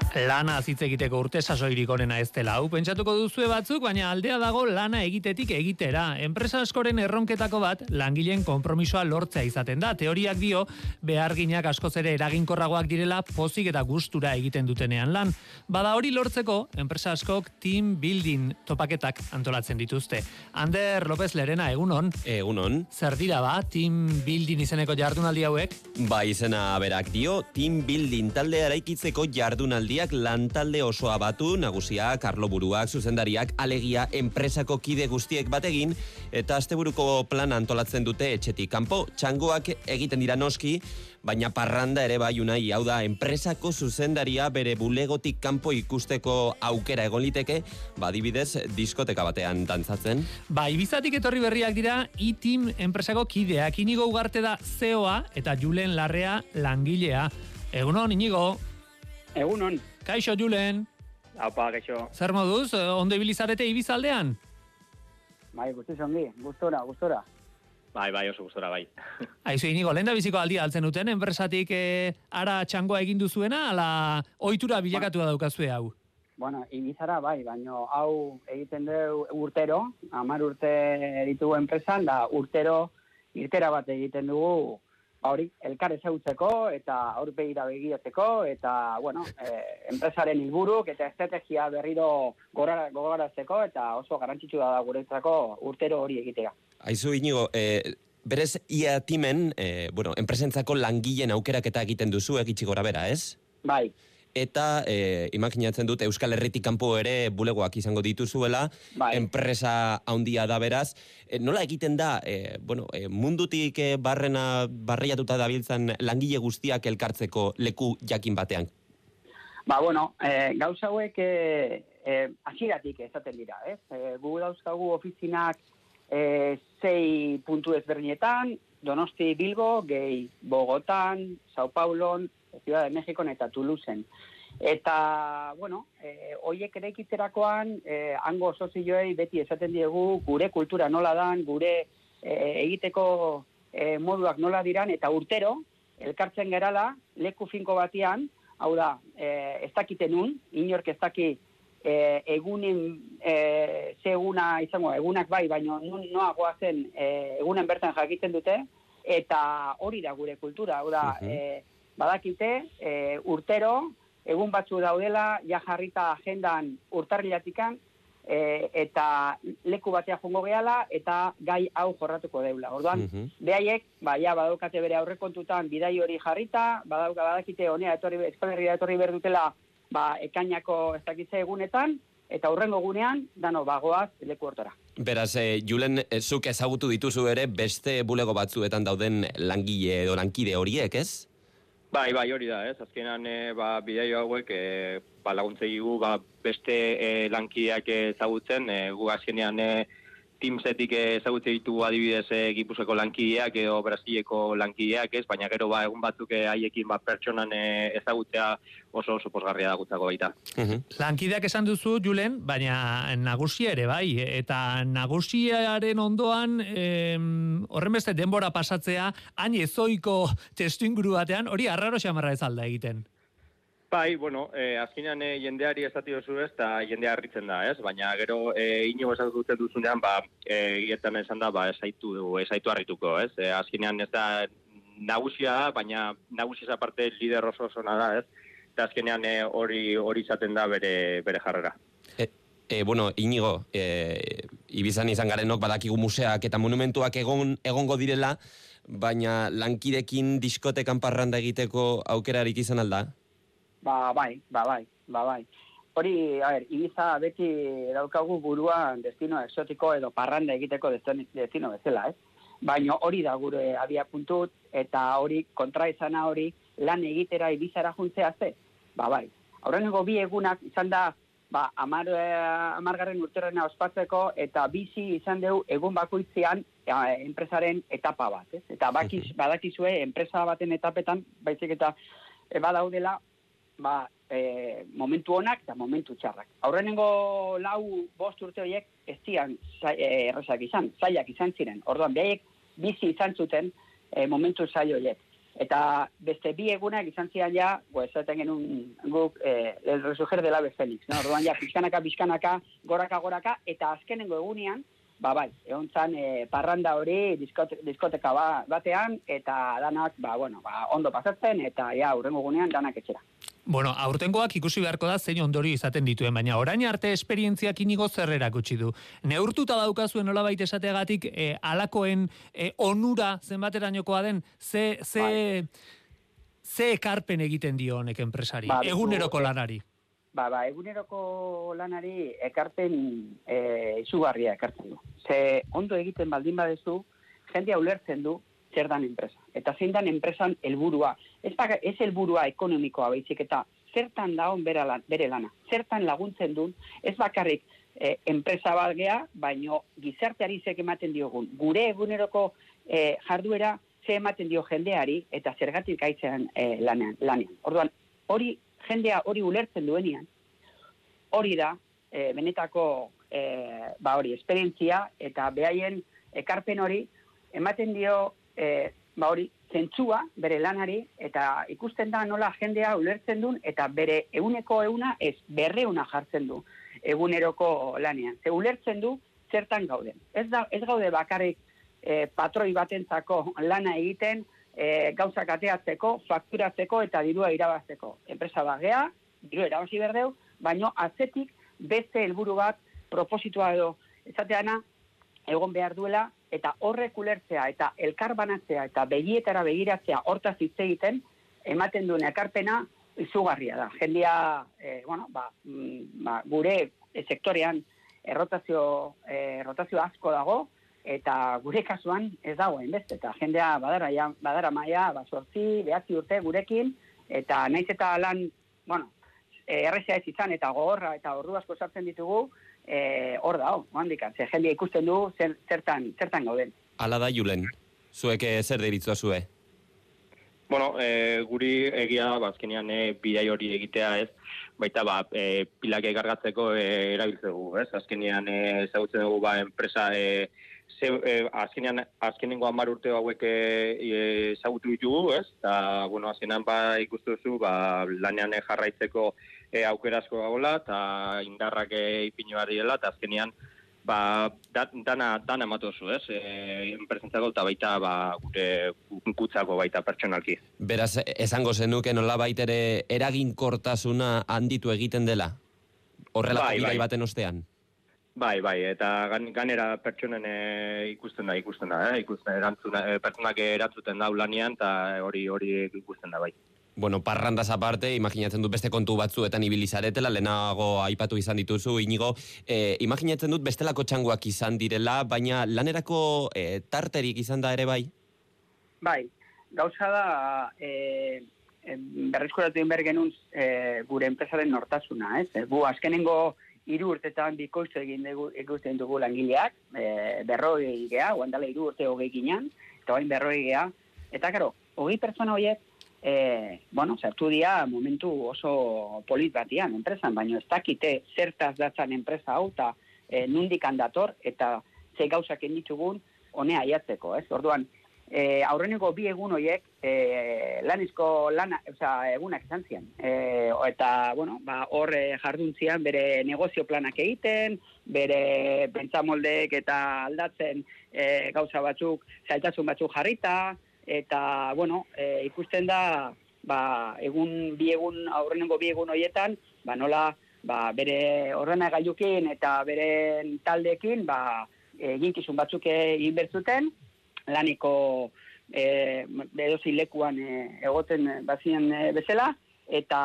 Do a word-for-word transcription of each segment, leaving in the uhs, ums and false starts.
Lana hitz egiteko urte sasoirik onena ez dela. Hau pentsatuko duzue batzuk, baina aldea dago lana egitetik egitera. Enpresa askoren erronketako bat langileen konpromisoa lortzea izaten da. Teoriak dio beharginak askoz ere eraginkorragoak direla pozik eta gustura egiten dutenean lan. Bada hori lortzeko enpresa askok team building topaketak antolatzen dituzte. Ander López Lerena, egunon. Egunon. Zer dira ba team building izeneko jardunaldi hauek? Ba, izena berak dio, team building taldea eraikitzeko jardunaldi lantalde osoa batu, nagusiak, arloburuak, zuzendariak, alegia, enpresako kide guztiek bategin, eta asteburuko plan antolatzen dute etxetik kanpo. Txangoak egiten dira noski, baina parranda ere bai unai, hau da, enpresako zuzendaria bere bulegotik kanpo ikusteko aukera egon liteke, badibidez, diskoteka batean dantzatzen. Ba, Ibizatik etorri berriak dira, E-Team enpresako kideak. Inigo Ugarte da C E O-a eta Julen Larrea langilea. Egunon, Inigo. Egunon. Kaixo, Julen. Aupa, kaixo. Zer moduz, ondo ibilizarete Ibizaldean? Bai, guztiz ongi, gustora, gustora. Bai, bai, oso gustora, bai. Aizu, Inigo, lehen da biziko aldia altzen duten, enpresatik eh, ara txangoa egin duzuena, ala ohitura bilakatua daukazue hau? Bueno, Ibizara bai, baino hau egiten du urtero, hamar urte ditugu enpresan, da urtero irtera bat egiten dugu, hori, elkar ezagutzeko eta aurpegira begiratzeko eta, bueno, eh, enpresaren helburuk eta estrategia berriro gogoratzeko eta oso garrantzitsua da guretzako urtero hori egitea. Aizu, Inigo, eh, berez ia timen, eh, bueno, enpresentzako langileen aukeraketa egiten duzu egitsi gora bera, ez? Bai. Eta eh, imaginatzen dut Euskal Herritik kanpo ere bulegoak izango dituzuela, bai. Enpresa handia da beraz. E, nola egiten da, e, bueno, e, mundutik e, barrena barreiatuta dabiltzan langile guztiak elkartzeko leku jakin batean? Ba, bueno, e, gauza hauek e, e, hasieratik esaten dira, ez? E, gu dauzkagu ofizinak e, sei puntu ezberdinetan, Donosti, Bilbo, gehi Bogotan, Sao Paulon, Ciudad de México eta Toulouseen. Eta, bueno, eh, oiek ere ikitzerakoan, eh, hango sozioei beti esaten diegu gure kultura nola dan, gure eh, egiteko eh, moduak nola diran, eta urtero, elkartzen gerala, leku finko batian, hau da, eh, ez dakiten un, inork ez daki eh, egunen, eh, ze eguna izango, egunak bai, baina noa goazen eh, egunen bertan jakiten dute, eta hori da gure kultura, hau da, uh-huh. eh, badakite, e, urtero, egun batzu daudela, ja jarrita agendan urtarrilatikan, e, eta leku batea jongo gehala, eta gai hau jorratuko deula. Orduan, uh-huh. behaiek, ba, ja, badaukate bere aurrekontutan bidai hori jarrita, badauka badakite honea etorri, Euskal Herria etorri behar dutela, ba, ekainako ez dakitze egunetan, eta hurrengo gunean, dano, bagoaz leku hortora. Beraz, e, Julen, e, zuk ezagutu dituzu ere beste bulego batzuetan dauden langile edo lankide horiek, ez? Bai, bai, hori da, ez? Azkenan, e, ba, bidaio hauek, e, ba, laguntzei gu, ba, beste e, lankideak ezagutzen, e, gu azkenean e, Teamsetik ezagutzen ditugu adibidez e, Gipuzkoako lankideak edo Brasileko lankideak, ez? Baina gero, ba, egun batzuk e, haiekin ba, pertsonan e, ezagutzea oso oso posgarria da gutzako baita. Uh-huh. Lankideak esan duzu, Julen, baina nagusia ere bai, eta nagusiaren ondoan em, horren beste denbora pasatzea, hain ezoiko testu inguru batean, hori arraro xamarra ez alda egiten. Bai, bueno, eh, azkenean eh, jendeari esati duzu ez, eta jendea harritzen da, ez? Baina gero eh, inigo esatzen duzunean, ba, eh, gietan esan da, ba, esaitu, esaitu harrituko, ez? Eh, azkenean ez da nagusia da, baina nagusia aparte lider oso oso da, ez? Eta azkenean eh, hori hori izaten da bere, bere jarrera. E, e, bueno, Inigo, e, Ibizan izan garenok badakigu museak eta monumentuak egon, egongo direla, baina lankidekin diskotekan parranda egiteko aukerarik izan alda? Ba, bai, ba, bai, ba, bai. Hori, a ber, Ibiza beti daukagu buruan destino exotiko edo parranda egiteko destino bezala, ez? Baina hori da gure abia puntut, eta hori kontraizana hori lan egitera Ibizara juntzea ze? Ba, bai. Aurreneko bi egunak izan da, ba, amar, amargarren urterrena ospatzeko, eta bizi izan dugu egun bakoitzean eh, enpresaren etapa bat, ez? Eta bakiz, badakizue enpresa baten etapetan, baizik eta e, badaudela, ba, e, momentu onak eta momentu txarrak. Aurrenengo lau bost urte horiek ez zian errazak izan, zailak izan ziren. Orduan, behaiek bizi izan zuten e, momentu zail horiek. Eta beste bi egunak izan zian ja, bo, esaten genuen guk, eh, el resurgir del ave Félix, no? Orduan ja, pixkanaka, pixkanaka, goraka, goraka, eta azkenengo egunean, ba bai, egon zan e, parranda hori diskote, diskoteka ba, batean, eta danak, ba, bueno, ba, ondo pasatzen, eta ja, hurrengo egunean danak etxera. Bueno, aurtengoak ikusi beharko da zein ondorio izaten dituen, baina orain arte esperientziak inigo zer erakutsi du. Neurtuta daukazuen nolabait esateagatik e, alakoen e, onura zenbaterainokoa den, ze, ze, bai. ze ekarpen egiten dio honek enpresari, ba, eguneroko lanari? Ba, ba, eguneroko lanari ekarpen e, izugarria ekartzen du. Ze ondo egiten baldin badezu, jendea ulertzen du zer dan enpresa. Eta zein dan enpresan helburua. Ez, ez helburua ekonomikoa baizik eta zertan daun bere, lan, bere lana. Zertan laguntzen duen, ez bakarrik e, enpresa bat gea, baino gizarteari zek ematen diogun. Gure eguneroko e, jarduera ze ematen dio jendeari eta zergatik gaitzean e, lanean, lanean. Orduan, hori jendea hori ulertzen duenean, hori da, e, benetako e, ba hori, esperientzia eta behaien ekarpen hori ematen dio e, ba hori, zentzua bere lanari eta ikusten da nola jendea ulertzen duen eta bere eguneko euna ez berreuna jartzen du eguneroko lanean. Ze ulertzen du zertan gauden. Ez, da, ez gaude bakarrik e, patroi batentzako lana egiten e, gauzak ateatzeko, fakturatzeko eta dirua irabazteko. Enpresa bagea, diru irabazi berdeu, baino atzetik beste helburu bat propositua edo esateana egon behar duela eta horrek ulertzea eta elkar banatzea eta begietara begiratzea hortaz hitz egiten ematen duen ekarpena izugarria da. Jendia, eh, bueno, ba, mm, ba, gure e, sektorean errotazio, e, rotazio asko dago eta gure kasuan ez dago hainbeste. Eta jendea badara, ja, badara maia, ba, sortzi, behatzi urte gurekin eta naiz eta lan, bueno, errezea ez izan eta gogorra eta ordu asko sartzen ditugu, Eh, hor da, handikan, ze jendia ikusten du zer, zertan, zertan gauden. Hala da, Julen, zuek zer deritzua zue? Bueno, e, guri egia da, azkenean e, bidai hori egitea ez, baita ba, e, pilak ekargatzeko e, erabiltzegu, ez? Azkenean e, ezagutzen dugu ba, enpresa, e, ze, e, azkenean, azkenengo hamar urte hauek e, ezagutu ditugu, ez? Eta, bueno, azkenean ba, ikustu duzu, ba, lanean jarraitzeko E, aukerasko gagola, eta indarrak e, ipinu dela, eta azkenean ba, da, dana, dana ematozu, ez? E, enpresentzako eta baita ba, gure kutzako baita pertsonalki. Beraz, esango zenuke nola baitere eraginkortasuna handitu egiten dela? Horrelako bai, bidai bai. baten ostean? Bai, bai, eta gan, ganera pertsonen e, ikusten da, ikusten da, eh? ikusten erantzuna, e, pertsonak erantzuten da ulanean, eta hori hori ikusten da, bai. Bueno, parrandaz aparte, imaginatzen dut beste kontu batzuetan ibili zaretela, lehenago aipatu izan dituzu, Inigo, eh, imaginatzen dut bestelako txangoak izan direla, baina lanerako eh, tarterik izan da ere bai? Bai, gauza da, eh, berrizkoratu behar genuen eh, gure enpresaren nortasuna, ez? Gu azkenengo hiru urtetan bikoiztu egin dugu, ikusten dugu langileak, eh, berroi gea, oandala hiru urte hogei ginean, eta bain berroi gea, eta karo, hogei pertsona horiek, E, bueno, zertu dia momentu oso polit batian enpresan, baina ez dakite zertaz datzan enpresa hau eta e, nundik handator eta ze gauzak enditugun honea aiatzeko, ez? Orduan, e, aurreneko bi egun horiek e, lanizko lana, oza, egunak izan zian. E, eta, bueno, ba, hor jarduntzian bere negozio planak egiten, bere pentsamoldeek eta aldatzen e, gauza batzuk, zailtasun batzuk jarrita, eta, bueno, e, ikusten da, ba, egun, bi egun, aurrenengo bi egun horietan, ba, nola, ba, bere ordenagailukin eta bere taldeekin, ba, eginkizun batzuk egin bertzuten, laniko e, edozi lekuan e, egoten bazien e, bezala, eta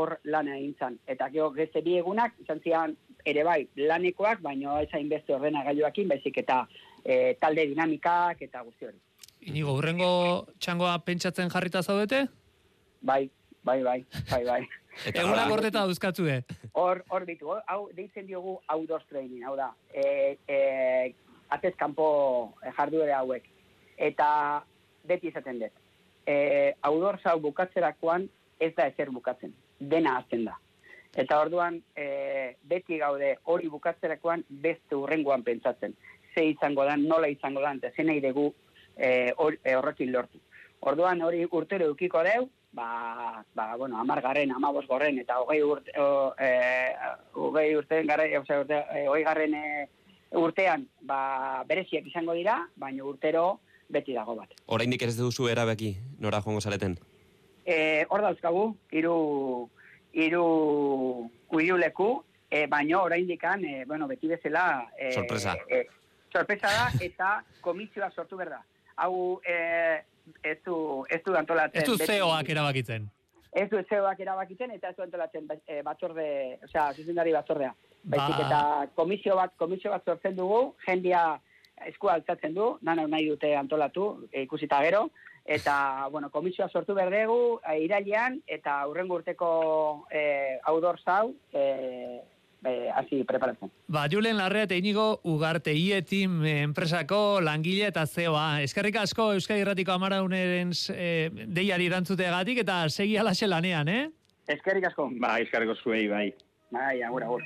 hor lana egin zan. Eta gero geste bi egunak, izan zian ere bai, lanekoak, baina ez hainbeste ordenagailuakin, baizik eta e, talde dinamikak eta guzti hori. Inigo, hurrengo txangoa pentsatzen jarrita zaudete? Bai, bai, bai, bai, bai. Egunak gordeta dauzkatzue. Hor, hor ditu, hau deitzen diogu outdoor training, hau da, e, e, atez kanpo jarduere hauek. Eta beti izaten dut. E, outdoor hau bukatzerakoan ez da ezer bukatzen, dena azten da. Eta orduan, e, beti gaude hori bukatzerakoan beste hurrengoan pentsatzen. Ze izango dan, nola izango dan, eta ze nahi dugu, E, or, e, horrekin lortu. Orduan hori urtero eukiko deu, ba, ba, bueno, amargarren, amabos gorren, eta hogei urte, o, e, hogei urtean, garre, o sea, urte, e, hogei garren e, urtean, ba, bereziak izango dira, baina urtero beti dago bat. Oraindik ez duzu erabaki, nora joango zareten? E, hor dauzkagu, hiru hiru hiru leku, e, baina oraindikan, e, bueno, beti bezala... E, Sorpresa. E, sorpresa da, eta komisioa sortu berda. Hau, e, ez du, ez du antolatzen... Ez du C E Oak erabakitzen. Ez du C E Oak erabakitzen, eta ez du antolatzen e, batzorde, osea, zuzendari batzordea. Baizik, Ba. eta komisio bat, komisio bat sortzen dugu, jendia eskua altzatzen du, dana nahi dute antolatu, e, ikusita gero, eta, bueno, komisioa sortu berdegu, e, irailean, eta hurrengo urteko e, outdoor zau, e, be, hasi preparatzen. Ba, Julen Larrea eta Inigo Ugarte Ietim enpresako langile eta C E Oa. Eskerrik asko Euskadi Irratiko Amarauneren e, deiari erantzuteagatik eta segi alaxe lanean, eh? Eskerrik asko. Ba, eskarriko zuei, bai. Bai, agur, agur.